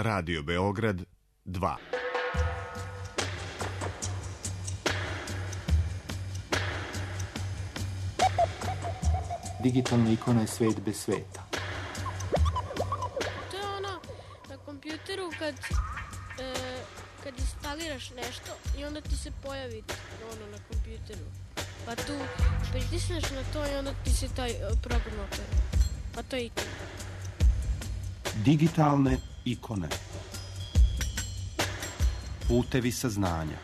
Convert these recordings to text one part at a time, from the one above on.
Radio Beograd 2. Digitalna ikona je svet bez sveta. To je ono na kompjuteru kad instaliraš nešto i onda ti se pojavi ono na kompjuteru. Pa tu pritisneš na to i onda ti se taj program otvori. Pa to je ikona. Digitalne ikone. Putevi saznanja.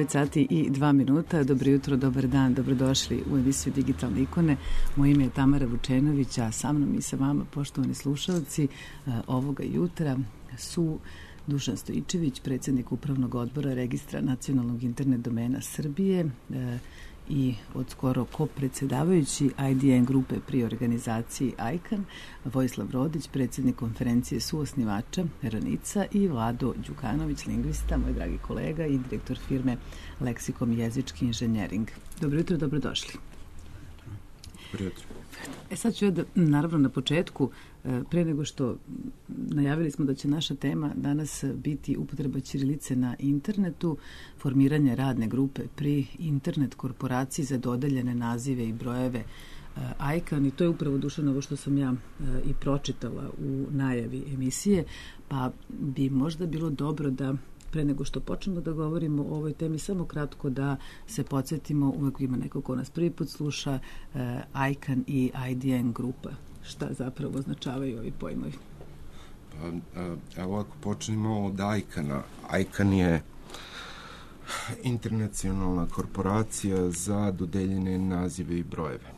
Sati i 2 minuta. Dobro jutro, dobar dan, dobrodošli u emisiju Digitalne ikone. Moje ime je Tamara Vučenović, a sa mnom i sa vama, poštovani slušalci, ovoga jutra su Dušan Stojičević, predsjednik Upravnog odbora Registra nacionalnog internet domena Srbije i od skoro ko-predsjedavajući IDN grupe pri organizaciji ICANN, Vojislav Rodić, predsjednik konferencije suosnivača Ranica i Vlado Đukanović, lingvista, moj dragi kolega i direktor firme Leksikon jezički inženjering. Dobro jutro, dobrodošli. Dobro jutro. Sad ću ja da, naravno na početku, pre nego što najavili smo da će naša tema danas biti upotreba ćirilice na internetu, formiranje radne grupe pri internet korporaciji za dodeljene nazive i brojeve ICANN, i to je upravo, Dušan, ovo što sam ja i pročitala u najavi emisije, pa bi možda bilo dobro da pre nego što počnemo da govorimo o ovoj temi, samo kratko da se podsjetimo, uvek ima neko ko nas prvi put sluša, ICANN i IDN grupa. Šta zapravo označavaju ovi pojmovi? Evo, ako počnemo od ICANN-a. ICANN je internacionalna korporacija za dodeljene nazive i brojeve.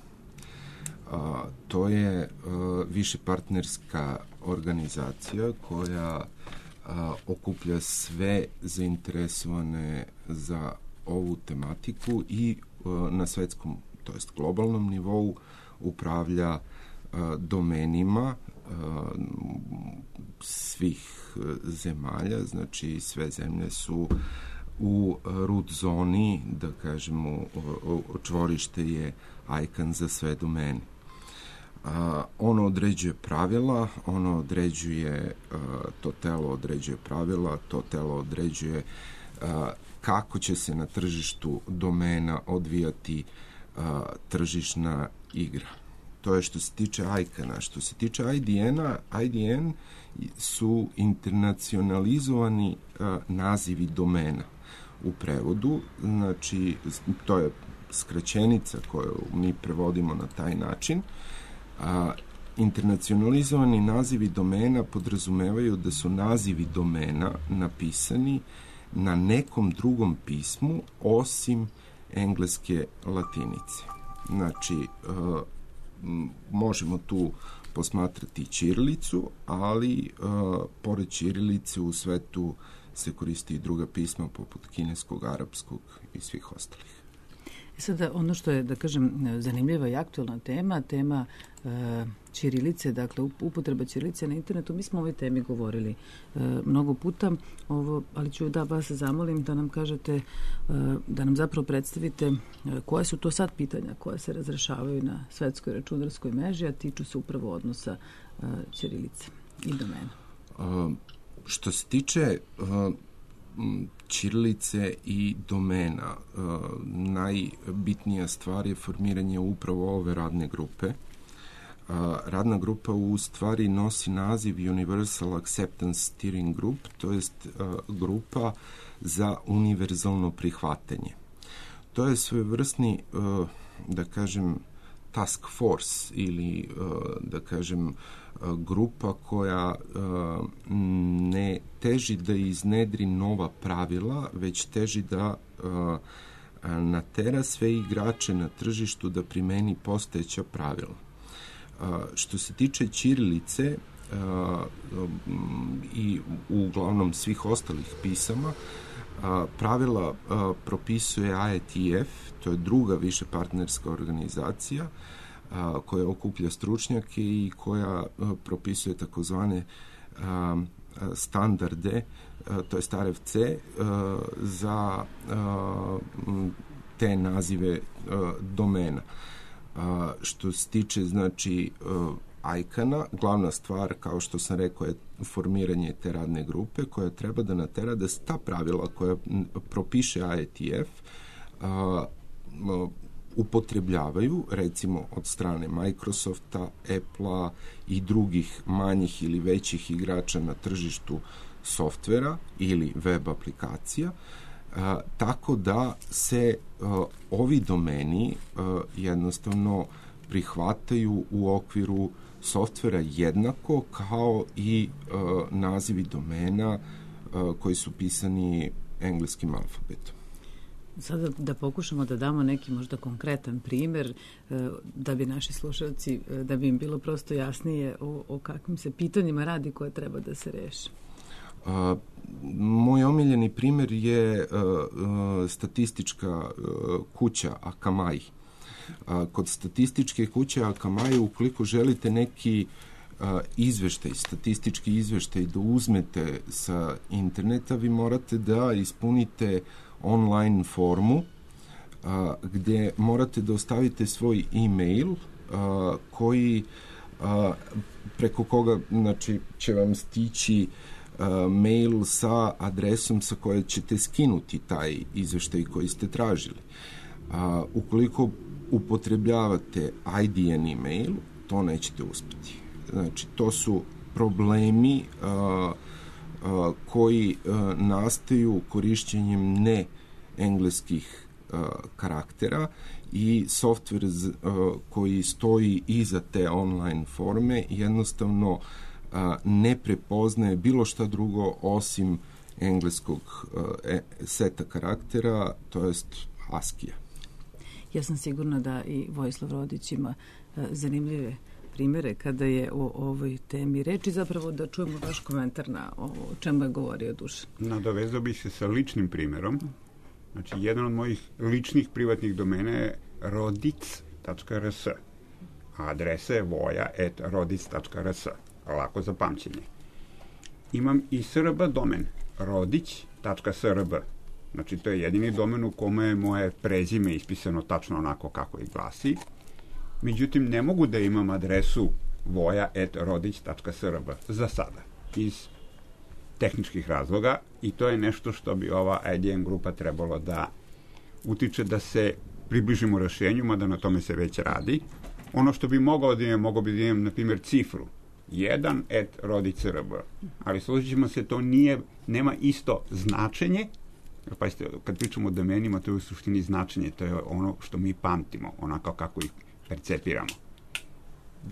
To je višepartnerska organizacija koja okuplja sve zainteresovane za ovu tematiku i na svetskom, to jest globalnom nivou, upravlja domenima svih zemalja, znači sve zemlje su u root zoni, da kažemo, čvorište je ICANN za sve domene. Ono određuje pravila, ono određuje, to telo određuje pravila, to telo određuje kako će se na tržištu domena odvijati tržišna igra. To je što se tiče ICANN-a. Što se tiče IDN-a, IDN su internacionalizovani nazivi domena u prevodu, znači to je skraćenica koju mi prevodimo na taj način. Internacionalizovani nazivi domena podrazumevaju da su nazivi domena napisani na nekom drugom pismu osim engleske latinice. Znači, možemo tu posmatrati ćirilicu, ali pored ćirilice u svetu se koristi i druga pisma poput kineskog, arapskog i svih ostalih. Sada, ono što je, da kažem, zanimljiva i aktualna tema ćirilice, dakle upotreba ćirilice na internetu, mi smo o ovoj temi govorili mnogo puta, ali ću da vas zamolim da nam kažete, da nam zapravo predstavite koje su to sad pitanja koja se razrešavaju na svetskoj računarskoj mreži, a tiču se upravo odnosa ćirilice i domena. Što se tiče ćirilice i domena, najbitnija stvar je formiranje upravo ove radne grupe. Radna grupa u stvari nosi naziv Universal Acceptance Steering Group, to jest grupa za univerzalno prihvatanje. To je svojevrsni, da kažem, task force ili, da kažem, grupa koja ne teži da iznedri nova pravila, već teži da natera sve igrače na tržištu da primeni postojeća pravila. Što se tiče ćirilice i uglavnom svih ostalih pisama, pravila propisuje IETF, to je druga više partnerska organizacija koja okuplja stručnjake i koja propisuje takozvane standarde, to je RFC, za te nazive domena. Što se tiče, znači, ICANN-a, glavna stvar, kao što sam rekao, je formiranje te radne grupe koja treba da natera da se ta pravila koja propiše IETF upotrebljavaju, recimo od strane Microsofta, Apple-a i drugih manjih ili većih igrača na tržištu softvera ili web aplikacija, tako da se ovi domeni jednostavno prihvataju u okviru softvera jednako kao i nazivi domena koji su pisani engleskim alfabetom. Sada da pokušamo da damo neki možda konkretan primer da bi naši slušalci, da bi im bilo prosto jasnije o kakvim se pitanjima radi koje treba da se reši. Moj omiljeni primer je statistička kuća Akamai. Kod statističke kuće Akamai, ukoliko želite neki statistički izveštaj da uzmete sa interneta, vi morate da ispunite online formu gdje morate da ostavite svoj e-mail koji preko koga, znači, će vam stići mail sa adresom sa koje ćete skinuti taj izveštaj koji ste tražili. Ukoliko upotrebljavate IDN email, to nećete uspjeti. Znači, to su problemi koji nastaju korišćenjem ne engleskih karaktera i softver koji stoji iza te online forme jednostavno ne prepoznaje bilo šta drugo osim engleskog seta karaktera, to jest ASCII-a. Ja sam sigurna da i Vojislav Rodić ima zanimljive primere kada je o ovoj temi reči, zapravo da čujemo vaš komentar na o čemu je govorio Dušan. Nadovezao bih se sa ličnim primjerom. Znači, jedan od mojih ličnih privatnih domena je rodic.rs. Adresa je voja@rodic.rs. Lako za pamćenje. Imam i srb domen, rodić.srb. Znači, to je jedini domen u kome je moje prezime ispisano tačno onako kako i glasi. Međutim, ne mogu da imam adresu voja@rodić.srb za sada, iz tehničkih razloga, i to je nešto što bi ova IDN grupa trebalo da utiče da se približimo rešenju, mada na tome se već radi. Ono što bi mogao da imam, na primjer, cifru 1@rodić.srb, ali složit ćemo se, to nema isto značenje. Pa kad pričamo o domenima, to je u suštini značenje, to je ono što mi pamtimo, onako kako ih percepiramo.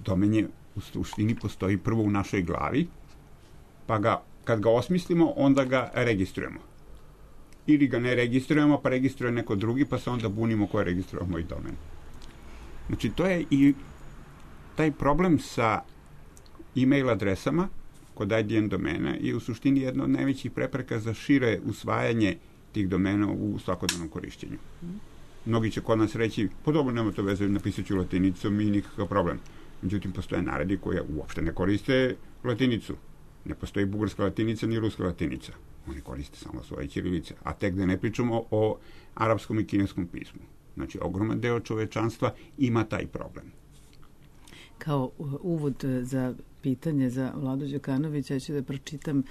Domen je u suštini postoji prvo u našoj glavi, pa kad ga osmislimo, onda ga registrujemo. Ili ga ne registrujemo, pa registruje neko drugi, pa se onda bunimo ko je registruje moj domen. Znači, to je i taj problem sa e-mail adresama kod IDN domena je u suštini jedna od najvećih prepreka za šire usvajanje tih domena u svakodnevnom korišćenju. Mnogi će kod nas reći, pa dobro, nema to veze, napisat ću latinicom i nikakav problem. Međutim, postoje narodi koji uopšte ne koriste latinicu. Ne postoji bugarska latinica ni ruska latinica. Oni koriste samo svoje ćirilice. A tek da ne pričamo o arapskom i kineskom pismu. Znači, ogroman deo čovečanstva ima taj problem. Kao uvod za pitanje za Vladu Đukanovića, ja ću da pročitam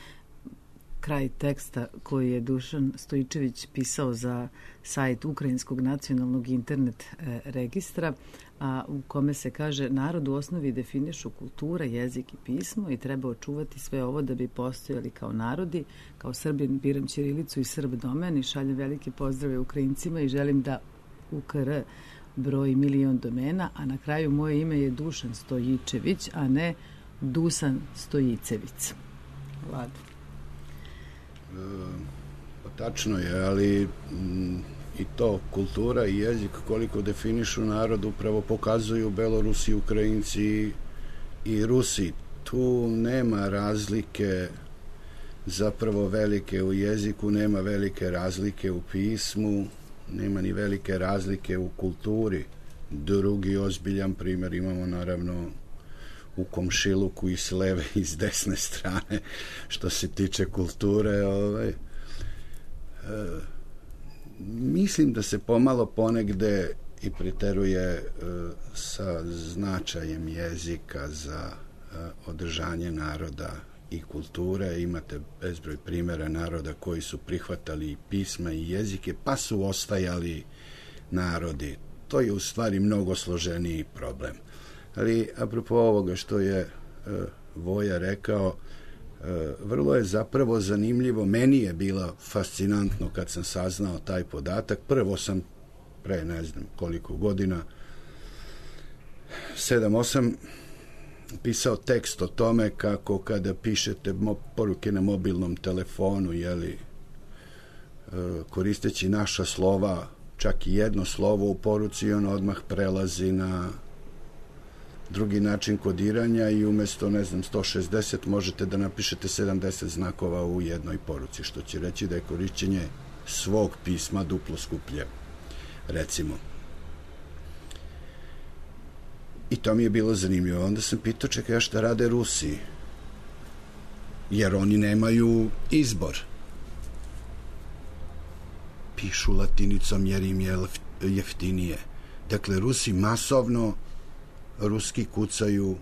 kraj teksta koji je Dušan Stojičević pisao za sajt Ukrajinskog nacionalnog internet registra, a u kome se kaže: narod u osnovi definišu kultura, jezik i pismo i treba očuvati sve ovo da bi postojali kao narodi. Kao Srbin biram ćirilicu i Srb domen i šaljem velike pozdrave Ukrajincima i želim da UKR broji 1.000.000 domena, a na kraju moje ime je Dušan Stojičević, a ne Dusan Stojicević. Vlado. Tačno je, ali i to kultura i jezik koliko definišu narod upravo pokazuju Belorusi, Ukrajinci i Rusi. Tu nema razlike zapravo velike u jeziku, nema velike razlike u pismu, nema ni velike razlike u kulturi. Drugi ozbiljan primjer imamo naravno u komšiluku i s leve i s desne strane što se tiče kulture. Mislim da se pomalo ponegde i preteruje sa značajem jezika za održanje naroda i kulture. Imate bezbroj primjera naroda koji su prihvatali i pisma i jezike, pa su ostajali narodi. To je u stvari mnogo složeniji problem. Ali apropo ovoga što je Voja rekao, vrlo je zapravo zanimljivo. Meni je bilo fascinantno kad sam saznao taj podatak. Prvo sam pre ne znam koliko godina, 7-8, pisao tekst o tome kako kada pišete poruke na mobilnom telefonu, koristeći naša slova, čak i jedno slovo u poruci, on odmah prelazi na drugi način kodiranja i umjesto, 160 možete da napišete 70 znakova u jednoj poruci, što će reći da je korišćenje svog pisma duplo skuplje, recimo. I to mi je bilo zanimljivo. Onda sam pitao, čekaj, šta rade Rusi? Jer oni nemaju izbor. Pišu latinicom jer im je jeftinije. Dakle, Rusi masovno ruski kucaju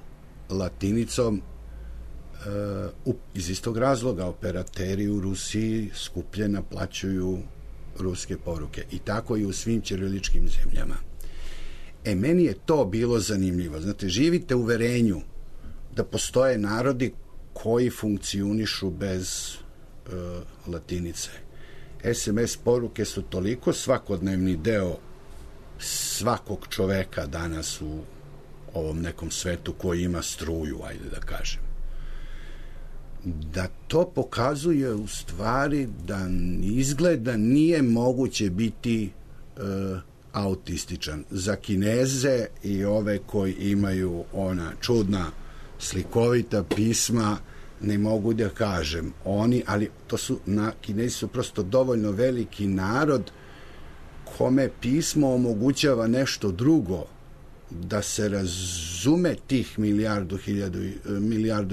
latinicom iz istog razloga. Operateri u Rusiji skuplje naplaćuju ruske poruke. I tako i u svim ćiriličkim zemljama. Meni je to bilo zanimljivo. Znate, živite u uverenju da postoje narodi koji funkcionišu bez latinice. SMS poruke su toliko svakodnevni deo svakog čoveka danas u ovom nekom svetu koji ima struju, ajde da kažem. Da to pokazuje u stvari da izgleda nije moguće biti autističan. Za Kineze i ove koji imaju ona čudna slikovita pisma, ne mogu da kažem oni, ali Kinezi su prosto dovoljno veliki narod kome pismo omogućava nešto drugo, da se razume tih milijardu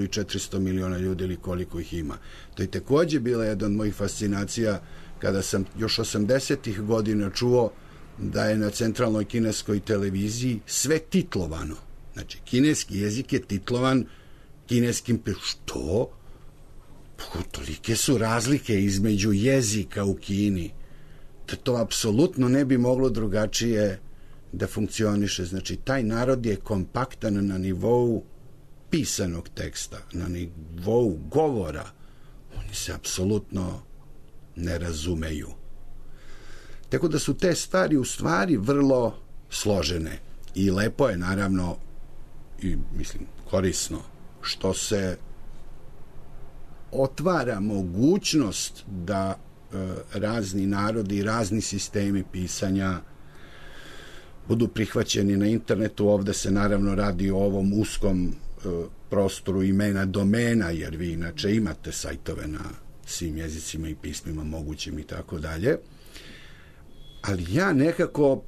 i 400 miliona ljudi ili koliko ih ima. To je takođe bila jedna od mojih fascinacija kada sam još 80-ih godina čuo da je na centralnoj kineskoj televiziji sve titlovano. Znači, kineski jezik je titlovan kineskim. Što? Tolike su razlike između jezika u Kini. To apsolutno ne bi moglo drugačije da funkcioniše. Znači, taj narod je kompaktan na nivou pisanog teksta, na nivou govora. Oni se apsolutno ne razumeju. Tako da su te stvari u stvari vrlo složene. I lepo je, naravno, i mislim korisno, što se otvara mogućnost da razni narodi i razni sistemi pisanja budu prihvaćeni na internetu. Ovde se naravno radi o ovom uskom prostoru imena domena, jer vi inače imate sajtove na svim jezicima i pismima mogućim i tako dalje. Ali ja nekako,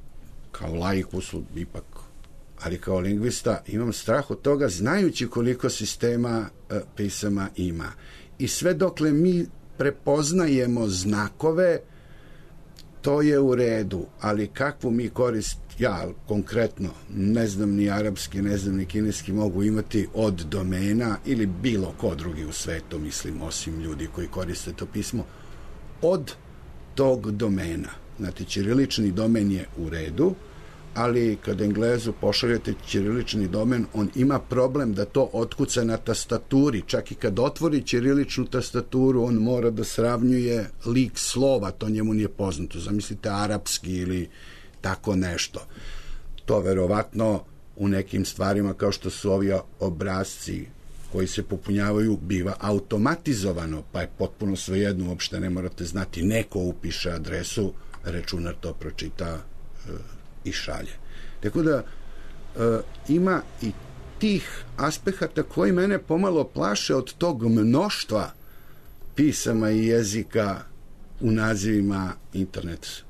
kao laikus ipak, ali kao lingvista, imam strah od toga, znajući koliko sistema pisama ima. I sve dokle mi prepoznajemo znakove, to je u redu, ali kakvu mi korist, ja konkretno ne znam ni arapski, ne znam ni kineski, mogu imati od domena ili bilo ko drugi u svetu, mislim, osim ljudi koji koriste to pismo, od tog domena. Znate, ćirilični domen je u redu, ali kad Englezu pošaljete ćirilični domen, on ima problem da to otkuca na tastaturi. Čak i kad otvori ćiriličnu tastaturu, on mora da sravnjuje lik slova, to njemu nije poznato. Zamislite arapski ili tako nešto. To verovatno u nekim stvarima kao što su ovi obrazci koji se popunjavaju biva automatizovano, pa je potpuno svejedno, uopšte ne morate znati, neko upiše adresu, računar to pročita i šalje. Tako da ima i tih aspekata koji mene pomalo plaše od tog mnoštva pisama i jezika u nazivima internet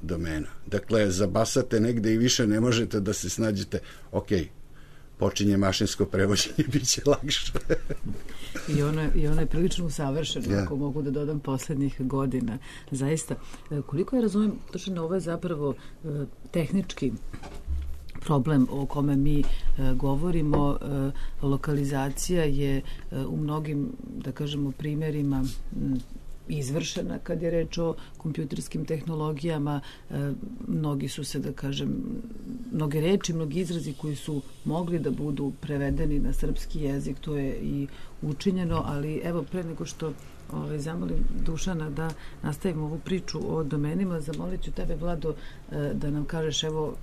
domena. Dakle, zabasate negde i više ne možete da se snađete, ok, počinje mašinsko prevođenje, bit će lakše. I ono je prilično usavršeno, ako mogu da dodam poslednjih godina. Zaista, koliko ja razumem, točno ovo je zapravo tehnički problem o kome mi govorimo. Lokalizacija je u mnogim, da kažemo, primerima izvršena kad je reč o kompjuterskim tehnologijama. Mnogi su se, da kažem, mnoge reči, mnogi izrazi koji su mogli da budu prevedeni na srpski jezik, to je i učinjeno, ali evo, pre nego što zamolim Dušana da nastavimo ovu priču o domenima, zamolit ću tebe, Vlado, da nam kažeš, evo,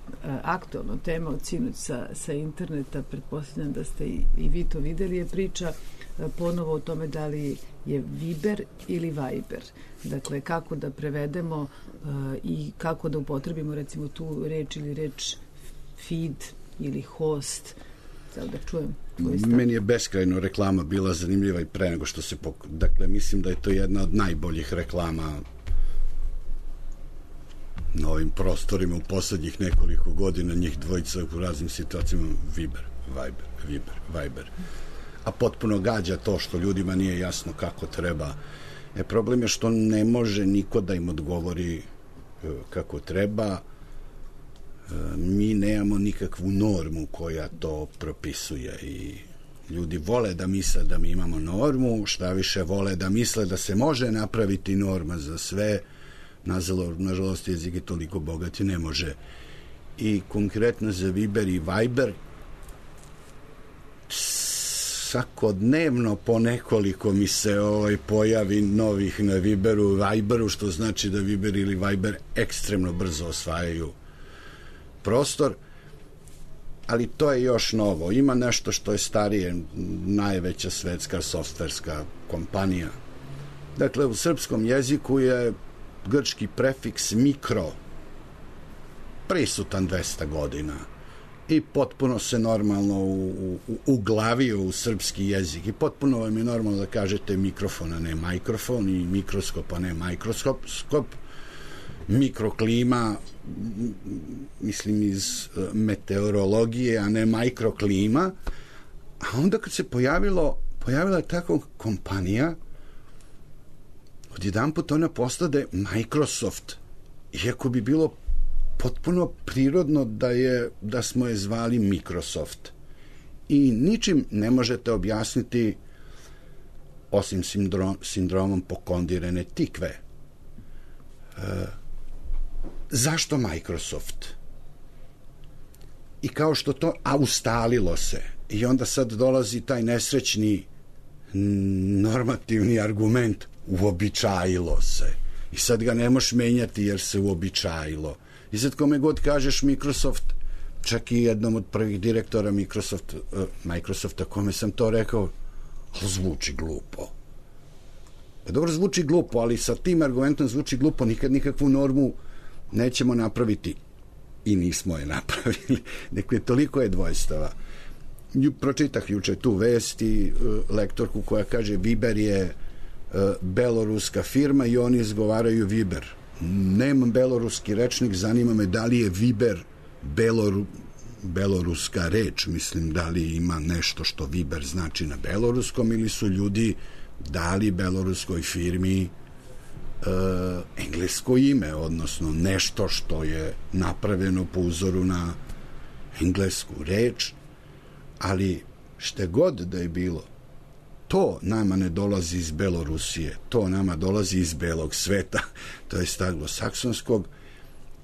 aktualna tema od sinoć sa interneta, pretpostavljam da ste i vi to videli, je priča ponovo o tome da li je Viber ili Viber. Dakle, kako da prevedemo i kako da upotrebimo, recimo, tu reč ili reč feed ili host. Sada da čujem. Meni je beskrajno reklama bila zanimljiva i pre nego što se Dakle, mislim da je to jedna od najboljih reklama na ovim prostorima u poslednjih nekoliko godina, njih dvojica u raznim situacijama. Viber. A potpuno gađa to što ljudima nije jasno kako treba. Problem je što ne može niko da im odgovori kako treba. Mi nemamo nikakvu normu koja to propisuje i ljudi vole da misle da mi imamo normu, šta više vole da misle da se može napraviti norma za sve. Nažalost, jezik je toliko bogat i ne može. I konkretno za Viber i Viber svakodnevno po nekoliko mi se pojavi novih na Viberu, što znači da Viber ili Viber ekstremno brzo osvajaju prostor, ali to je još novo. Ima nešto što je starije, najveća svetska softverska kompanija. Dakle, u srpskom jeziku je grčki prefiks mikro prisutan 200 godina i potpuno se normalno uglavio u srpski jezik i potpuno vam je normalno da kažete mikrofon, a ne mikrofon, i mikroskop, a ne mikroskop, mikroklima, mislim iz meteorologije, a ne mikroklima. A onda kad se pojavila je takva kompanija, odjedanput ona postade Microsoft, iako bi bilo potpuno prirodno da smo je zvali Microsoft. I ničim ne možete objasniti, osim sindromom pokondirene tikve. Zašto Microsoft? I kao što to, a ustalilo se. I onda sad dolazi taj nesrećni normativni argument, uobičajilo se. I sad ga ne možeš menjati jer se uobičajilo. I sad kome god kažeš Microsoft, čak i jednom od prvih direktora Microsofta kome sam to rekao, zvuči glupo. Dobro, zvuči glupo, ali sa tim argumentom zvuči glupo, nikad nikakvu normu nećemo napraviti. i nismo je napravili. Dakle, toliko je dvojstava. Pročitah juče tu vest i lektorku koja kaže Viber je beloruska firma i oni izgovaraju Viber. Nemam beloruski rečnik, zanima me da li je Viber beloruska reč, mislim da li ima nešto što Viber znači na beloruskom ili su ljudi dali beloruskoj firmi englesko ime, odnosno nešto što je napravljeno po uzoru na englesku reč, ali šte god da je bilo, to nama ne dolazi iz Belorusije, to nama dolazi iz belog sveta, to je anglosaksonskog,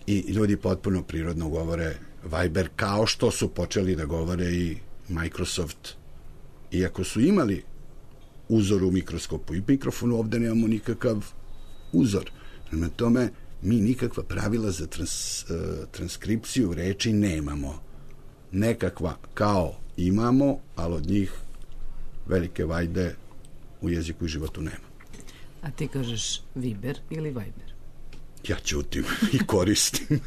i ljudi potpuno prirodno govore Viber, kao što su počeli da govore i Microsoft, iako su imali uzor u mikroskopu i mikrofonu, ovde nemamo nikakav uzor. Na tome mi nikakva pravila za transkripciju reči nemamo. Nekakva kao imamo, ali od njih velike vajde u jeziku i životu nema. A ti kažeš Viber ili Viber? Ja ćutim i koristim.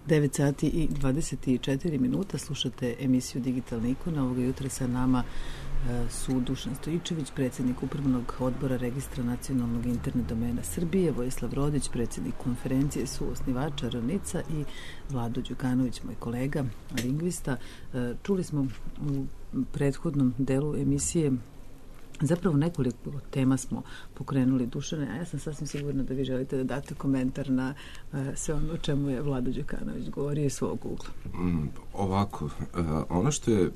Devet sati i 24 minuta, slušate emisiju Digitalna ikona. Ovoga jutra sa nama su Dušan Stojičević, predsjednik Upravnog odbora Registra nacionalnog internet domena Srbije, Vojislav Rodić, predsjednik konferencije suosnivača Ravnica i Vlado Đukanović, moj kolega, lingvista. Čuli smo u prethodnom delu emisije zapravo nekoliko tema smo pokrenuli, Dušane, a ja sam sasvim sigurna da vi želite da date komentar na sve ono o čemu je Vlado Đukanović govorio iz svog ugla. Ovako, ono što je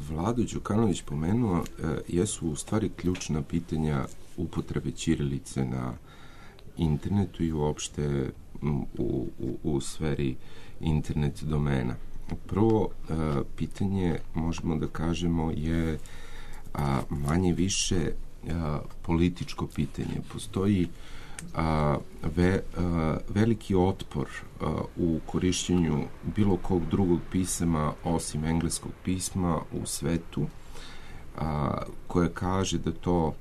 Vlado Đukanović pomenuo jesu u stvari ključna pitanja upotrebe ćirilice na internetu i uopšte u sferi internet domena. Prvo pitanje, možemo da kažemo, je manje više političko pitanje. Postoji veliki otpor u korišćenju bilo kog drugog pisama osim engleskog pisma u svetu, koje kaže da to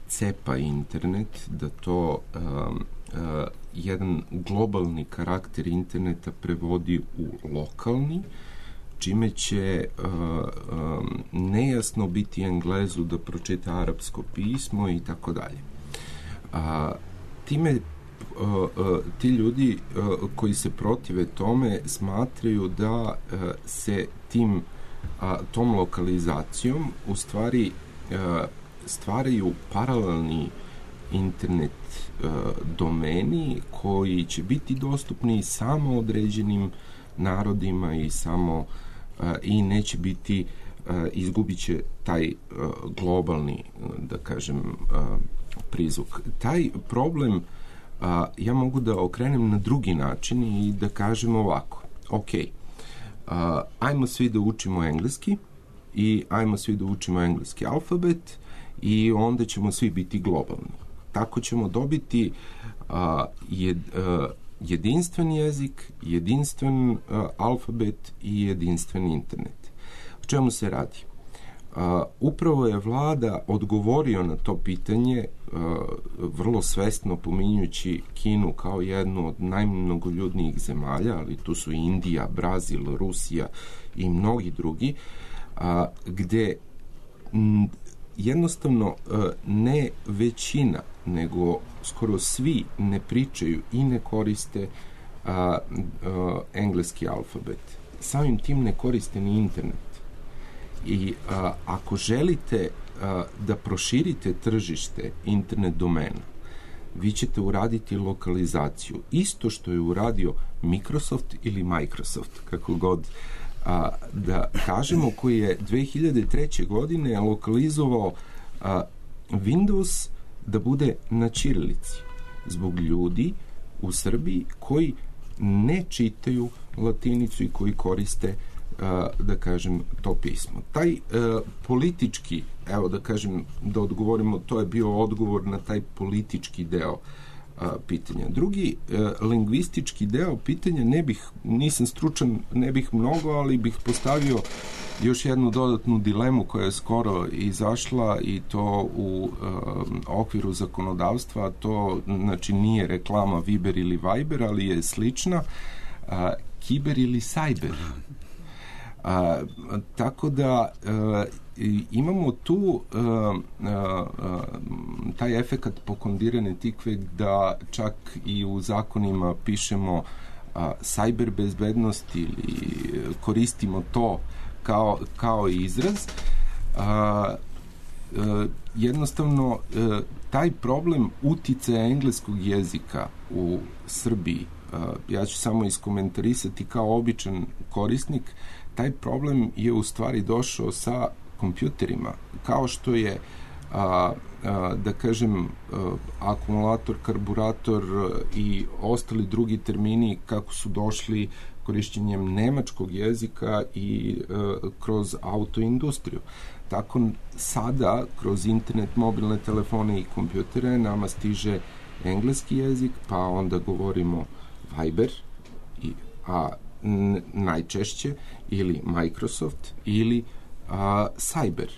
cepa internet, da to jedan globalni karakter interneta prevodi u lokalni, čime će nejasno biti Englezu da pročita arapsko pismo i tako dalje. Time ti ljudi koji se protive tome smatraju da se tom lokalizacijom u stvari stvaraju paralelni internet domeni koji će biti dostupni samo određenim narodima i neće biti, izgubit će taj globalni, da kažem, prizvuk. Taj problem ja mogu da okrenem na drugi način i da kažem ovako. Ok, ajmo svi da učimo engleski i ajmo svi da učimo engleski alfabet i onda ćemo svi biti globalni. Tako ćemo dobiti jedinstven jezik, jedinstven alfabet i jedinstven internet. O čemu se radi? Upravo je vlada odgovorio na to pitanje vrlo svesno pominjući Kinu kao jednu od najmnogoljudnijih zemalja, ali tu su Indija, Brazil, Rusija i mnogi drugi, gde jednostavno ne većina, nego skoro svi ne pričaju i ne koriste engleski alfabet. Samim tim ne koriste ni internet. I ako želite da proširite tržište internet domena, vi ćete uraditi lokalizaciju. Isto što je uradio Microsoft ili Microsoft, kako god da kažemo, koji je 2003. godine lokalizovao Windows da bude na ćirilici zbog ljudi u Srbiji koji ne čitaju latinicu i koji koriste, da kažem, to pismo. Taj politički, evo da kažem, da odgovorimo, to je bio odgovor na taj politički deo pitanja. Drugi lingvistički deo pitanja, nisam stručan, ne bih mnogo, ali bih postavio još jednu dodatnu dilemu koja je skoro izašla i to u okviru zakonodavstva. To, znači, nije reklama Viber ili Viber, ali je slična. Kiber ili sajber. Tako da imamo tu taj efekat pokondirane tikve da čak i u zakonima pišemo sajber bezbednost ili koristimo to kao izraz. Jednostavno taj problem uticaja engleskog jezika u Srbiji, ja ću samo iskomentarisati kao običan korisnik, taj problem je u stvari došao sa kompjuterima, kao što je da kažem akumulator, karburator i ostali drugi termini kako su došli korišćenjem nemačkog jezika i kroz autoindustriju. Tako sada kroz internet, mobilne telefone i kompjutere nama stiže engleski jezik, pa onda govorimo Viber, najčešće, ili Microsoft, ili Cyber.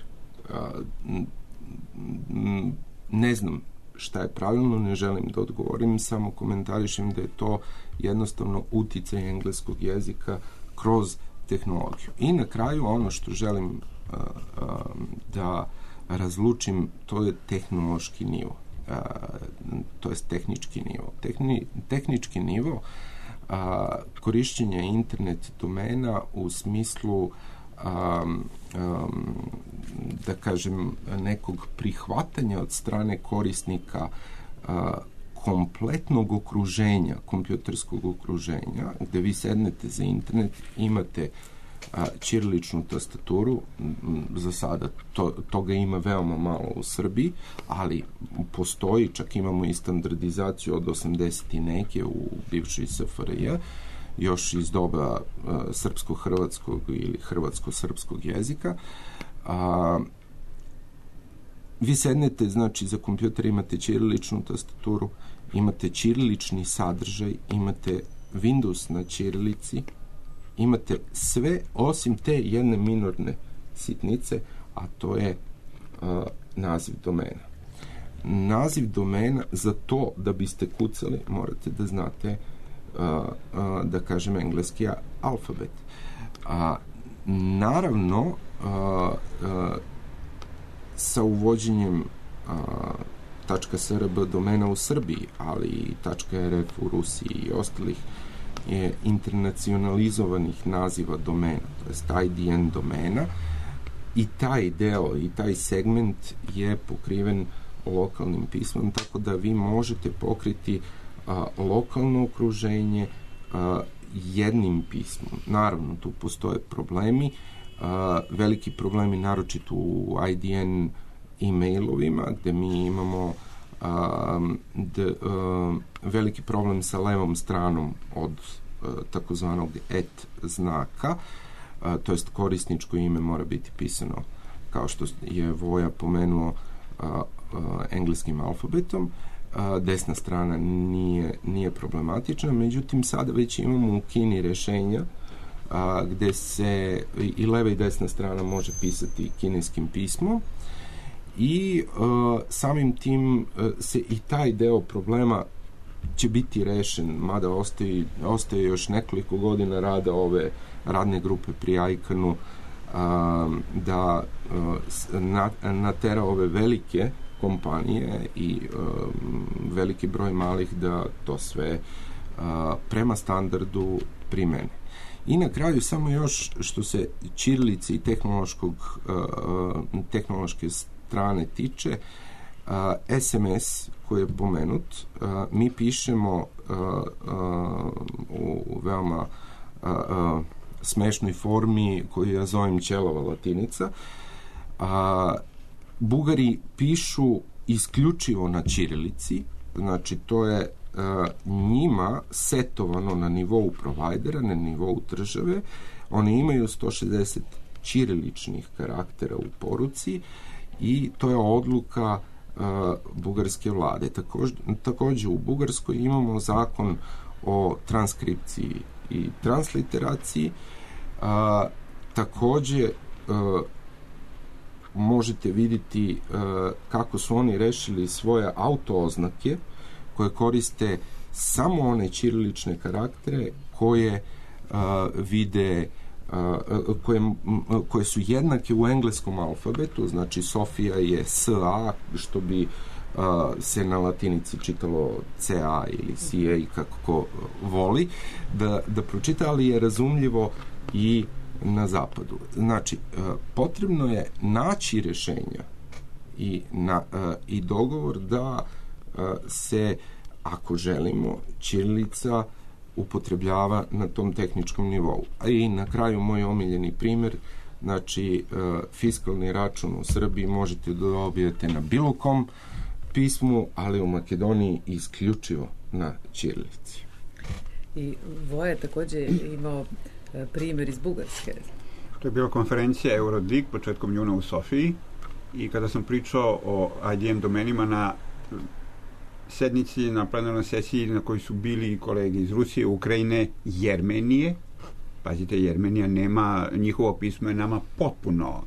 Ne znam šta je pravilno, ne želim da odgovorim, samo komentarišem da je to jednostavno uticaj engleskog jezika kroz tehnologiju. I na kraju ono što želim da razlučim, to je tehnološki nivo, to je tehnički nivo. Tehnički nivo korišćenja internet domena u smislu da kažem nekog prihvatanja od strane korisnika kompletnog okruženja, kompjuterskog okruženja, gde vi sednete za internet, imate ćiriličnu tastaturu, za sada toga ima veoma malo u Srbiji, ali postoji, čak imamo i standardizaciju od 80 i neke u bivšoj SFRJ, još iz doba srpsko-hrvatskog ili hrvatsko-srpskog jezika. Vi sednete, znači, za kompjuter imate ćiriličnu tastaturu, imate ćirilični sadržaj, imate Windows na ćirilici, imate sve osim te jedne minorne sitnice, a to je naziv domena. Naziv domena, za to da biste kucali, morate da znate da kažem engleski alfabet. Naravno, sa uvođenjem .srb domena u Srbiji, ali i .rf u Rusiji i ostalih internacionalizovanih naziva domena, to je IDN domena, i taj deo i taj segment je pokriven lokalnim pismom, tako da vi možete pokriti lokalno okruženje jednim pismom. Naravno, tu postoje problemi, veliki problemi naročito u IDN e-mailovima, gde mi imamo veliki problem sa levom stranom od takozvanog et znaka, to jest korisničko ime mora biti pisano, kao što je Voja pomenuo, engleskim alfabetom. Desna strana nije problematična, međutim sada već imamo u Kini rešenja gde se i leva i desna strana može pisati kineskim pismom i samim tim se i taj deo problema će biti rešen, mada ostaje još nekoliko godina rada ove radne grupe pri ICANN-u da natera ove velike kompanije i veliki broj malih da to sve prema standardu primene. I na kraju samo još što se ćirilice i tehnološke strane tiče, SMS koji je pomenut, mi pišemo u veoma smešnoj formi koju ja zovem ćelava latinica. Bugari pišu isključivo na ćirilici, znači to je njima setovano na nivou provajdera, na nivou države. Oni imaju 160 ćiriličnih karaktera u poruci i to je odluka bugarske vlade. Takođe u Bugarskoj imamo zakon o transkripciji i transliteraciji. Takođe možete vidjeti kako su oni rešili svoje autooznake koje koriste samo one ćirilične karaktere koje vide koje su jednake u engleskom alfabetu, znači Sofija je SA, što bi se na latinici čitalo CA ili CA, kako ko voli da pročita, ali je razumljivo i na zapadu. Znači, potrebno je naći rešenja i dogovor da se, ako želimo, ćirilica upotrebljava na tom tehničkom nivou. A i na kraju moj omiljeni primer, znači fiskalni račun u Srbiji možete da dobijete na bilo kom pismu, ali u Makedoniji isključivo na ćirilici. I Voja je takođe imao primer iz Bugarske. To je bila konferencija Eurodig početkom juna u Sofiji i kada sam pričao o IDN domenima na sednici, na plenarnoj sesiji na kojoj su bili kolege iz Rusije, Ukrajine, Jermenije. Pazite, Jermenija nema, njihovo pismo je nama potpuno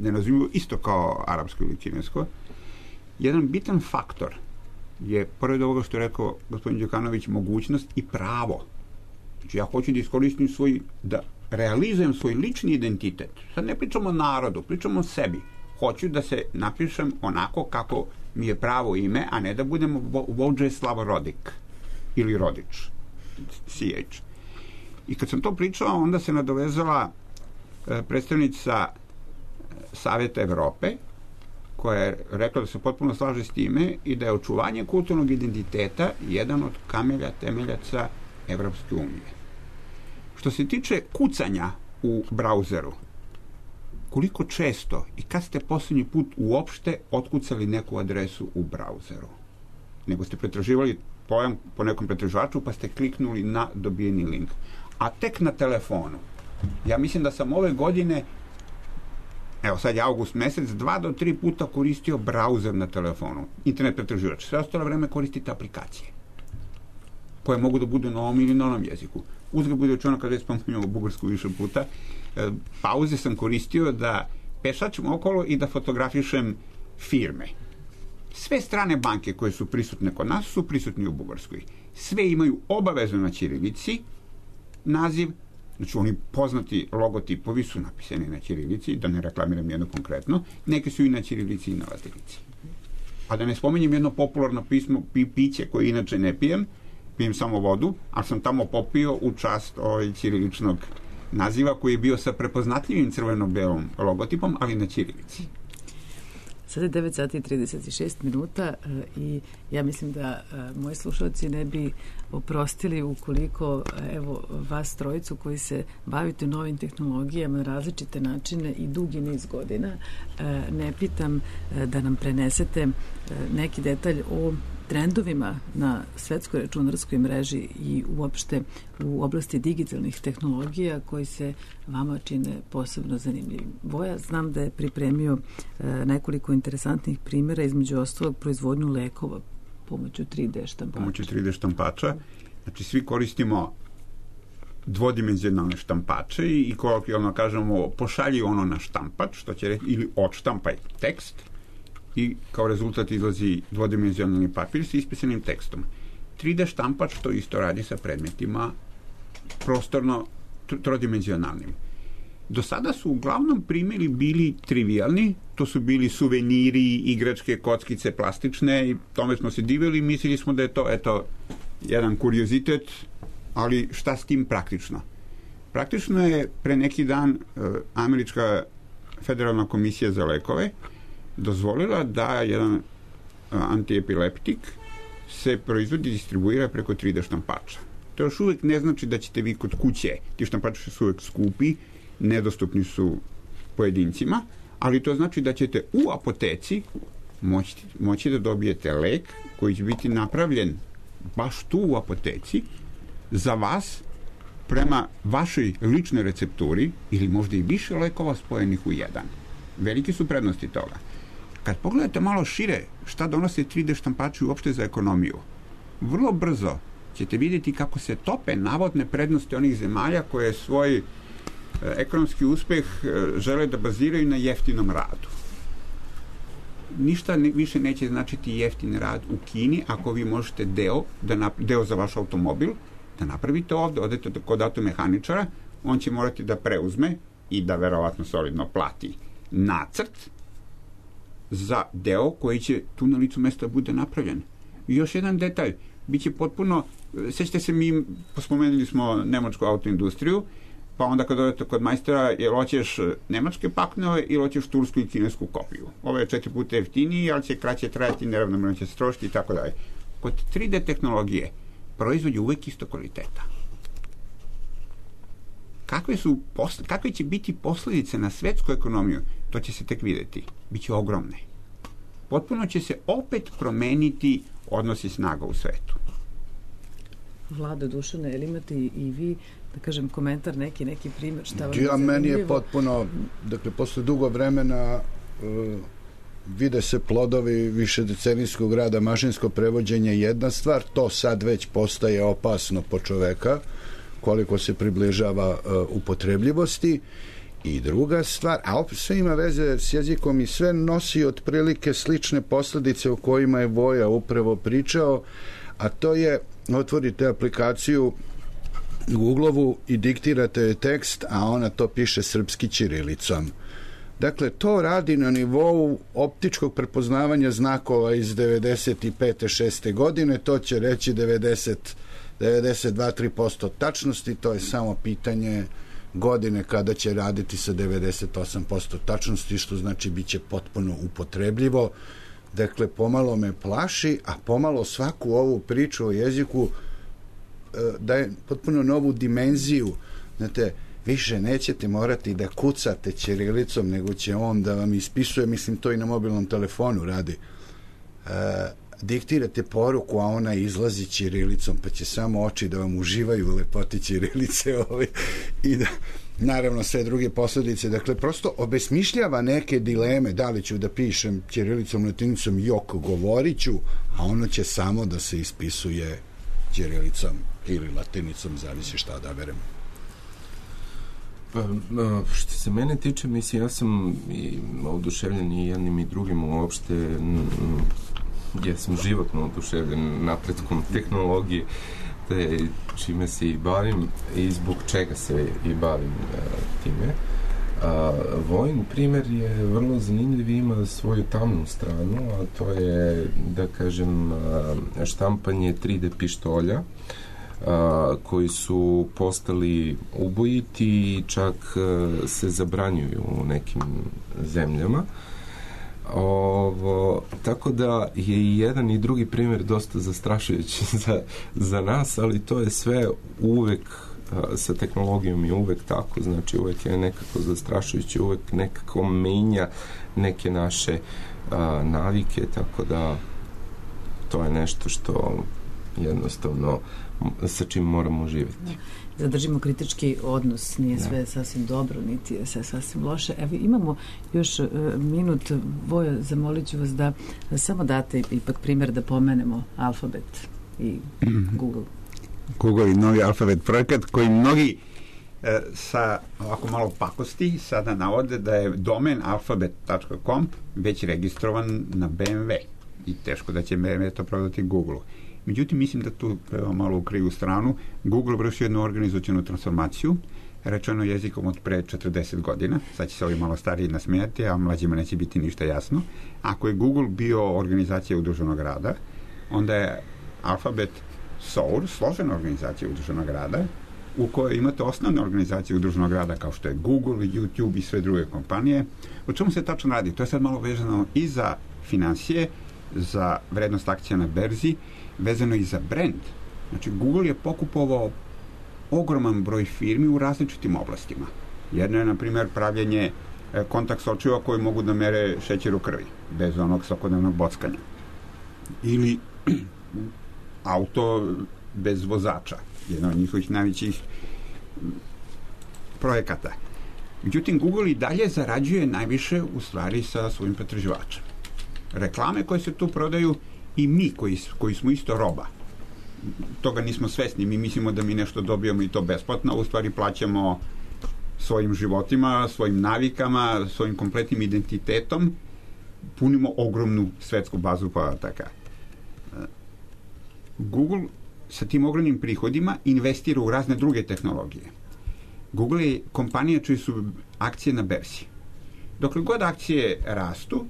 nerazumljivo, isto kao arapsko ili kinesko. Jedan bitan faktor je, pored ovoga što je rekao gospodin Đukanović, mogućnost i pravo. Znači, ja hoću da iskoristim da realizujem svoj lični identitet, sad ne pričamo o narodu, pričamo o sebi. Hoću da se napišem onako kako mi je pravo ime, a ne da budem Vođeslav Rodik ili Rodič, CH. I kad sam to pričao, onda se nadovezala predstavnica Saveta Evrope, koja je rekla da se potpuno slaže s time i da je očuvanje kulturnog identiteta jedan od kamelja temeljaca Evropske unije. Što se tiče kucanja u brauzeru, koliko često i kad ste poslednji put uopšte otkucali neku adresu u brauzeru? Nego ste pretraživali pojam po nekom pretraživaču pa ste kliknuli na dobijeni link. A tek na telefonu. Ja mislim da sam ove godine, evo sad je avgust mesec, 2 do 3 puta koristio brauzer na telefonu, internet pretraživač. Sve ostalo vreme koristite aplikacije koje mogu da budu na ovom ili na onom jeziku. Uzgled bude učeno kada je spomenuo bugarsku više puta, pauze sam koristio da pešačem okolo i da fotografišem firme. Sve strane banke koje su prisutne kod nas su prisutni u Bugarskoj. Sve imaju obavezno na ćirilici naziv, znači oni poznati logotipovi su napisani na ćirilici, da ne reklamiram jedno konkretno, neke su i na ćirilici i na latinici. A da ne spominjem jedno popularno pismo, piće koje inače ne pijem samo vodu, ali sam tamo popio u čast ćiriličnog naziva koji je bio sa prepoznatljivim crveno-belom logotipom, ali na ćirilici. Sada je 9 sati i 36 minuta i ja mislim da moji slušalci ne bi oprostili ukoliko, evo, vas trojicu koji se bavite novim tehnologijama na različite načine i dugi niz godina, ne pitam da nam prenesete neki detalj o trendovima na svetskoj računarskoj mreži i uopšte u oblasti digitalnih tehnologija koji se vama čine posebno zanimljivim. Voja, znam da je pripremio nekoliko interesantnih primjera, između ostalog proizvodnju lekova pomoću 3D štampača. Pomoću 3D štampača. Znači, svi koristimo dvodimenzionalne štampače i kolokvijalno kažemo pošalji ono na štampač, što će reći, ili odštampaj tekst, i kao rezultat izlazi dvodimenzionalni papir sa ispisanim tekstom. 3D štampač to isto radi sa predmetima prostorno trodimenzionalnim. Do sada su uglavnom primjeri bili trivialni, to su bili suveniri, igračke, kockice, plastične i tome smo se divili i mislili smo da je to, eto, jedan kuriozitet, ali šta s tim praktično? Praktično je pre neki dan Američka federalna komisija za lekove dozvolila da jedan antiepileptik se proizvodi i distribuira preko 3D štampača. To još uvek ne znači da ćete vi kod kuće, ti štampači su uvek skupi, nedostupni su pojedincima, ali to znači da ćete u apoteci moći da dobijete lek koji će biti napravljen baš tu u apoteci za vas prema vašoj ličnoj recepturi ili možda i više lekova spojenih u jedan. Velike su prednosti toga. Kad pogledate malo šire šta donose 3D štampači uopšte za ekonomiju, vrlo brzo ćete vidjeti kako se tope navodne prednosti onih zemalja koje svoj ekonomski uspeh žele da baziraju na jeftinom radu. Ništa više neće značiti jeftin rad u Kini ako vi možete deo za vaš automobil da napravite ovde, odete kod automehaničara, on će morati da preuzme i da verovatno solidno plati nacrt za deo koji će tu na licu mesta bude napravljen. I još jedan detalj, biće potpuno, sećate se, mi spomenuli smo nemačku autoindustriju, pa onda kad odete kod majstora, jel hoćeš nemačke paknove ili hoćeš tursku i kinesku kopiju. Ovo je 4 puta jeftiniji, ali će kraće trajati, neravnomerno će se trošiti i tako dalje. Kod 3D tehnologije proizvod je uvek isto kvaliteta. Kakve će biti posledice na svetsku ekonomiju, to će se tek videti. Biće ogromne. Potpuno će se opet promeniti odnosi snaga u svetu. Vlado, Dušane, ili imate i vi, da kažem, komentar, neki primjer, šta vam je zanimljivo? Meni je potpuno, dakle, posle dugo vremena vide se plodovi višedecenijskog rada, mašinsko prevođenje je jedna stvar, to sad već postaje opasno po čoveka, koliko se približava upotrebljivosti. I druga stvar, a opet sve ima veze s jezikom i sve nosi otprilike slične posledice o kojima je Voja upravo pričao, a to je, otvorite aplikaciju Googlovu i diktirate joj tekst, a ona to piše srpski ćirilicom. Dakle, to radi na nivou optičkog prepoznavanja znakova iz 95. 6. godine, to će reći 92-3% tačnosti, to je samo pitanje godine kada će raditi sa 98% tačnosti, što znači bit će potpuno upotrebljivo. Dakle, pomalo me plaši, a pomalo svaku ovu priču o jeziku daje potpuno novu dimenziju. Znate, više nećete morati da kucate ćirilicom, nego će on da vam ispisuje, mislim, to i na mobilnom telefonu radi. Diktirate poruku, a ona izlazi ćirilicom, pa će samo oči da vam uživaju u lepoti ćirilice i da, naravno, sve druge posledice. Dakle, prosto obesmišljava neke dileme, da li ću da pišem ćirilicom, latinicom, jok, govorit ću, a ono će samo da se ispisuje ćirilicom ili latinicom, zavisi šta da berem. Što se mene tiče, mislim, ja sam oduševljen i jednim i drugim uopšte. Ja sam životno oduševljen napretkom tehnologije, te čime se i bavim i zbog čega se i bavim time. Vojin primer je vrlo zanimljiv, ima svoju tamnu stranu, a to je, da kažem, štampanje 3D pištolja, koji su postali ubojiti i čak se zabranjuju u nekim zemljama. Tako da je i jedan i drugi primjer dosta zastrašujući za nas, ali to je sve uvek sa tehnologijom je uvek tako, znači uvek je nekako zastrašujući, uvek nekako menja neke naše navike, tako da to je nešto što jednostavno sa čim moramo živjeti. Zadržimo kritički odnos, nije sve sasvim dobro, niti je sve sasvim loše. Evo, imamo još minut. Vojo, zamolit ću vas da samo date ipak primjer da pomenemo alfabet i Google. Google i novi alfabet projekat koji mnogi sa ovako malo pakosti sada navode da je domen alfabet.com već registrovan na BMW i teško da će BMW to prodati Google-u. Međutim, mislim da tu malo u krivu stranu Google vrši jednu organizacionu transformaciju, rečeno jezikom od pre 40 godina, sad će se ovi malo stariji nasmijati, a mlađima neće biti ništa jasno. Ako je Google bio organizacija udruženog rada, onda je Alphabet SOUR, složena organizacija udruženog rada, u kojoj imate osnovne organizacije udruženog rada kao što je Google, YouTube i sve druge kompanije. O čemu se tačno radi? To je sad malo vezano i za financije, za vrednost akcija na berzi, vezano i za brand. Znači, Google je pokupovao ogroman broj firmi u različitim oblastima. Jedno je, na primjer, pravljenje kontakt sočiva koji mogu da mere šećer u krvi, bez onog svakodnevnog bockanja. Ili auto bez vozača, jedan od njihovih najvećih projekata. Međutim, Google i dalje zarađuje najviše u stvari sa svojim pretraživačem. Reklame koje se tu prodaju i mi koji smo isto roba. Toga nismo svesni, mi mislimo da mi nešto dobijamo i to besplatno, a u stvari plaćamo svojim životima, svojim navikama, svojim kompletnim identitetom, punimo ogromnu svetsku bazu podataka. Google sa tim ogromnim prihodima investira u razne druge tehnologije. Google je kompanija čiji su akcije na berzi. Dokle god akcije rastu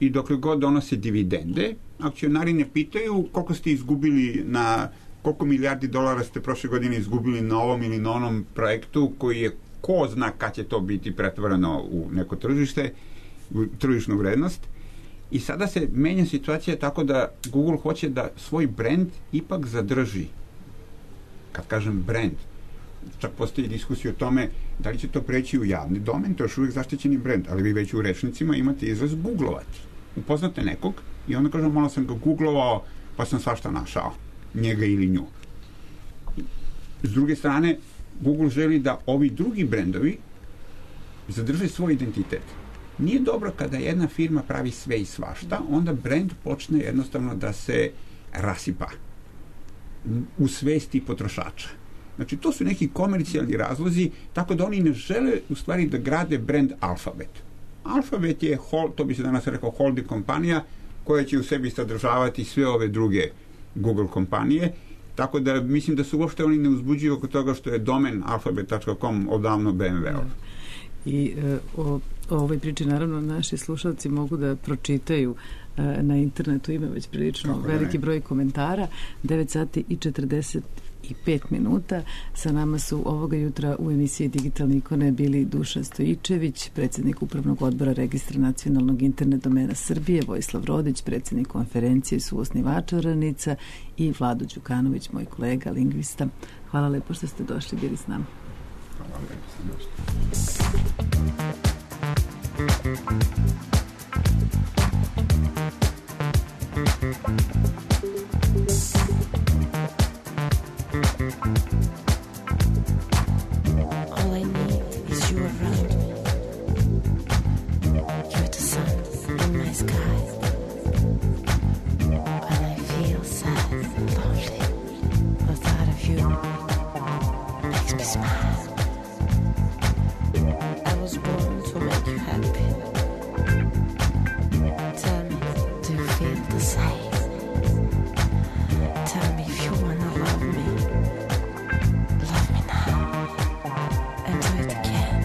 i dokle god donose dividende, akcionari ne pitaju koliko ste izgubili koliko milijardi dolara ste prošle godine izgubili na ovom ili na onom projektu koji je ko zna kad će to biti pretvoreno u neko tržište, u tržišnu vrednost. I sada se menja situacija tako da Google hoće da svoj brand ipak zadrži. Kad kažem brand, čak postoji diskusija o tome da li će to preći u javni domen, to je još uvijek zaštićeni brand, ali vi već u rečnicima imate izraz googlovati. Upoznate nekog i onda kažem, malo sam ga googlovao, pa sam svašta našao, njega ili nju. S druge strane, Google želi da ovi drugi brendovi zadrže svoj identitet. Nije dobro kada jedna firma pravi sve i svašta, onda brend počne jednostavno da se rasipa u svesti potrošača. Znači, to su neki komercijalni razlozi, tako da oni ne žele u stvari da grade brend Alphabet. Alphabet je, to bi se danas rekao, holding kompanija koja će u sebi sadržavati sve ove druge Google kompanije, Tako da mislim da se uopšte oni ne uzbuđuju oko toga što je domen alfabet.com odavno BMW-ov. I o ovoj priči naravno naši slušalci mogu da pročitaju na internetu, ima već prilično veliki broj komentara. 9 sati i 45 minuta. Sa nama su ovoga jutra u emisiji Digitalne ikone bili Dušan Stojičević, predsjednik Upravnog odbora Registra nacionalnog internet domena Srbije, Vojislav Rodić, predsjednik konferencije i suosnivač Oranica, i Vlado Đukanović, moj kolega, lingvista. Hvala lepo što ste došli, bili s nama. Hvala lepo što ste došli. All I need is you around me. You're the sun in my sky. When I feel sad and lonely, the thought of you makes me smile. I was born to make you happy. Tell me, do you feel the same? Tell me if you wanna love me. Love me now. And do it again.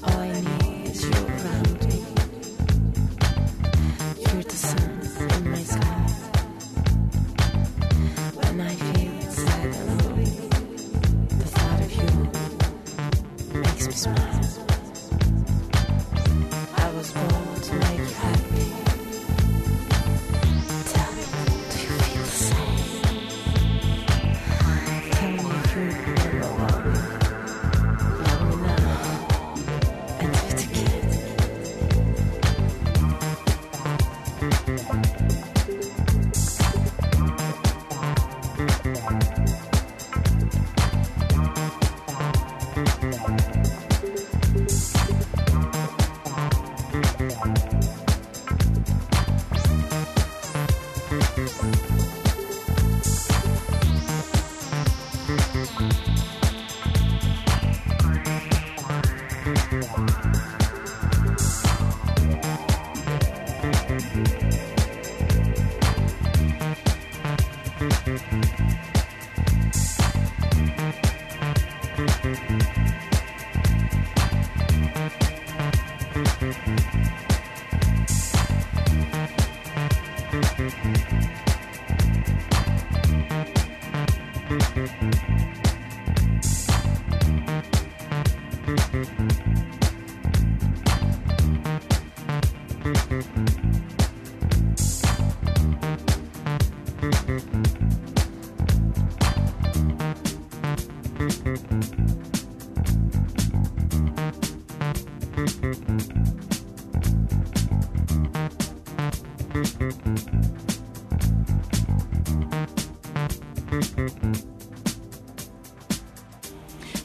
All I need is you around me. You're the sun in my sky. When I feel sad and lonely, the thought of you makes me smile. I was born to make you happy. Tell me, do you feel the same? Tell me if you wanna love me. Love me now. And do it again.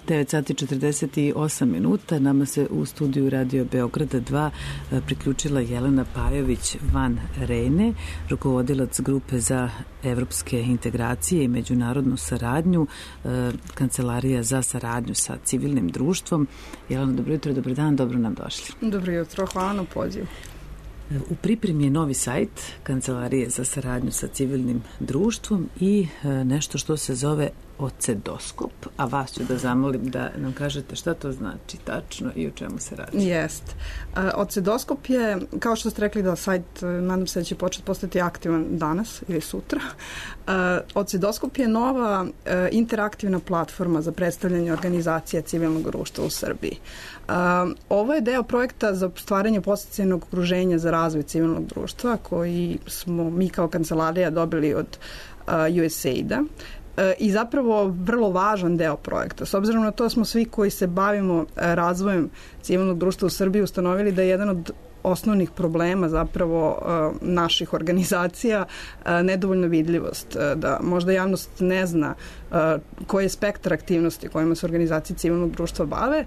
Devet sati 48 minuta. Nama se u studiju Radio Beograda 2 priključila Jelena Pajović van Rene, rukovodilac grupe za evropske integracije i međunarodnu saradnju, Kancelarija za saradnju sa civilnim društvom. Jelena, dobro jutro, dobar dan, dobro nam došli. Dobro jutro, hvala na pozivu. U pripremi je novi sajt Kancelarije za saradnju sa civilnim društvom i nešto što se zove Ocedoskop, a vas ću da zamolim da nam kažete šta to znači tačno i o čemu se radi. Jest. Ocedoskop je, kao što ste rekli da sajt, nadam se da će početi postati aktivan danas ili sutra. Ocedoskop je nova interaktivna platforma za predstavljanje organizacija civilnog društva u Srbiji. Ovo je deo projekta za stvaranje podsticajnog okruženja za razvoj civilnog društva koji smo mi kao kancelarija dobili od USAID-a. I zapravo vrlo važan deo projekta. S obzirom na to smo svi koji se bavimo razvojem civilnog društva u Srbiji ustanovili da je jedan od osnovnih problema zapravo naših organizacija nedovoljna vidljivost, da možda javnost ne zna koji je spektar aktivnosti kojima se organizacije civilnog društva bave.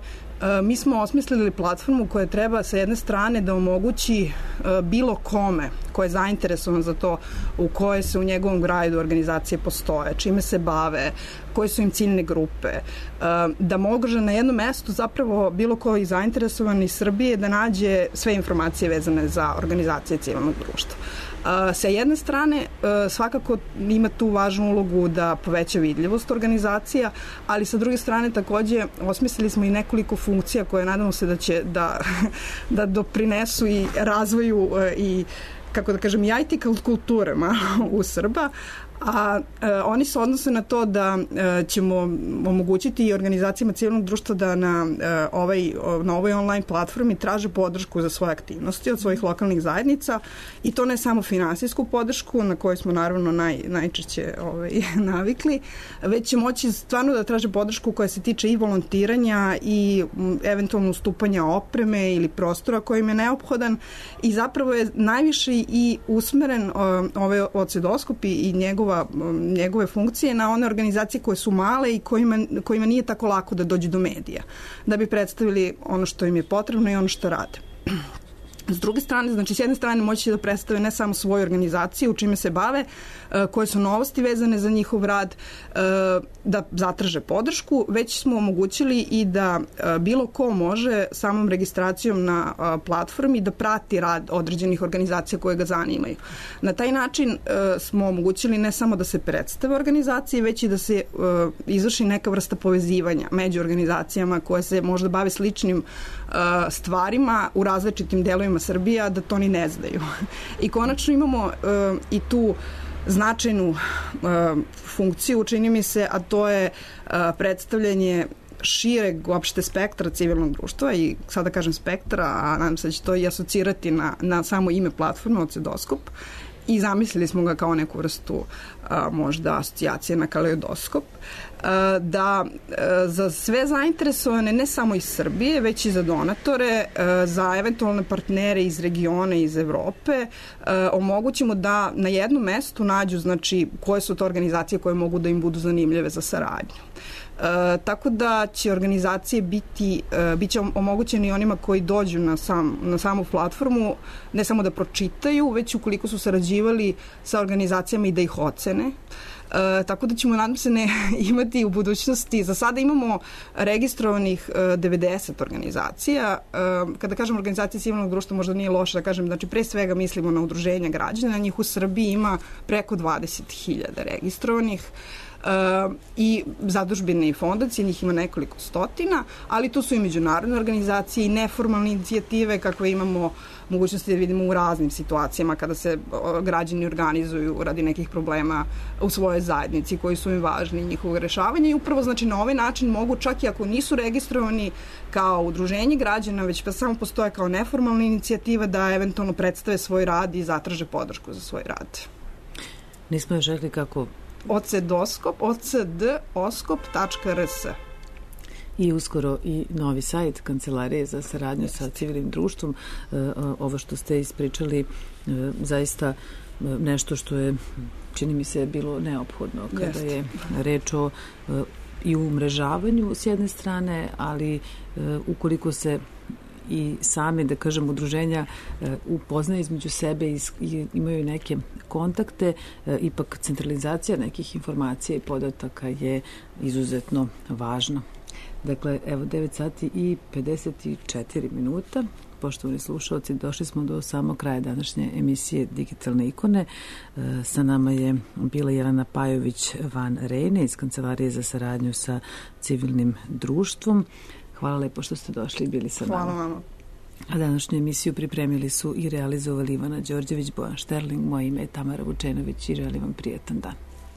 Mi smo osmislili platformu koja treba sa jedne strane da omogući bilo kome ko je zainteresovan za to u koje se u njegovom gradu organizacije postoje, čime se bave, koje su im ciljne grupe, da može na jednom mestu zapravo bilo ko i zainteresovan iz Srbije da nađe sve informacije vezane za organizacije civilnog društva. Sa jedne strane svakako ima tu važnu ulogu da poveća vidljivost organizacija, ali sa druge strane takođe osmislili smo i nekoliko funkcija koje nadamo se da će da doprinesu i razvoju i, kako da kažem, i IT kulturama u Srba, a oni se odnose na to da ćemo omogućiti i organizacijama civilnog društva da na ovoj online platformi traže podršku za svoje aktivnosti od svojih lokalnih zajednica, i to ne samo finansijsku podršku na kojoj smo naravno najčešće navikli, već će moći stvarno da traže podršku koja se tiče i volontiranja i eventualno ustupanja opreme ili prostora kojim je neophodan, i zapravo je najviše i usmeren ovaj ocedoskop i njegove funkcije na one organizacije koje su male i kojima nije tako lako da dođu do medija, da bi predstavili ono što im je potrebno i ono što rade. S druge strane, znači s jedne strane moći da predstave ne samo svoju organizaciju, čime se bave, koje su novosti vezane za njihov rad, da zatraže podršku, već smo omogućili i da bilo ko može samom registracijom na platformi da prati rad određenih organizacija koje ga zanimaju. Na taj način smo omogućili ne samo da se predstave organizacije, već i da se izvrši neka vrsta povezivanja među organizacijama koje se možda bave sličnim stvarima u različitim delovima Srbije, da to ni ne znaju. I konačno imamo i tu značajnu funkciju, čini mi se, a to je predstavljanje šireg uopšte spektra civilnog društva, i sada kažem spektra, a nadam se da će to i asocirati na samo ime platforme Ocedoskop, i zamislili smo ga kao neku vrstu možda asocijacije na kaleidoskop, da za sve zainteresovane, ne samo iz Srbije, već i za donatore, za eventualne partnere iz regiona i iz Evrope, omogućimo da na jednom mestu nađu, znači, koje su to organizacije koje mogu da im budu zanimljive za saradnju. Tako da će organizacije biće omogućeni onima koji dođu na samu platformu, ne samo da pročitaju, već ukoliko su sarađivali sa organizacijama i da ih ocene. Tako da ćemo, nadam se, imati u budućnosti, za sada imamo registrovanih 90 organizacija. Kada kažem organizacije civilnog društva, možda nije loše da kažem, znači pre svega mislimo na udruženja građana, njih u Srbiji ima preko 20.000 registrovanih, i zadužbine i fondacije, njih ima nekoliko stotina, ali tu su i međunarodne organizacije i neformalne inicijative kakve imamo mogućnosti da vidimo u raznim situacijama kada se građani organizuju radi nekih problema u svojoj zajednici koji su im važni, njihovo rešavanje, i upravo, znači, na ovaj način mogu, čak i ako nisu registrovani kao udruženje građana, već pa samo postoje kao neformalna inicijativa, da eventualno predstave svoj rad i zatraže podršku za svoj rad. Nismo još rekli kako Ocedoskop, ocdoskop.rs. I uskoro i novi sajt Kancelarije za saradnju sa civilnim društvom. Ovo što ste ispričali, zaista nešto što je, čini mi se, bilo neophodno kada je reč o i umrežavanju s jedne strane, ali ukoliko se i same, da kažem, udruženja upoznaju između sebe i imaju neke kontakte, ipak centralizacija nekih informacija i podataka je izuzetno važna. Dakle, evo 9 sati i 54 minuta. Poštovani slušalci, došli smo do samog kraja današnje emisije Digitalne ikone. Sa nama je bila Jelena Pajović van Rejne iz Kancelarije za saradnju sa civilnim društvom. Hvala lepo što ste došli i bili sa nama. Hvala vama. A današnju emisiju pripremili su i realizovali Ivana Đorđević, Bojan Šterling, moje ime je Tamara Vučenović i želim vam prijetan dan.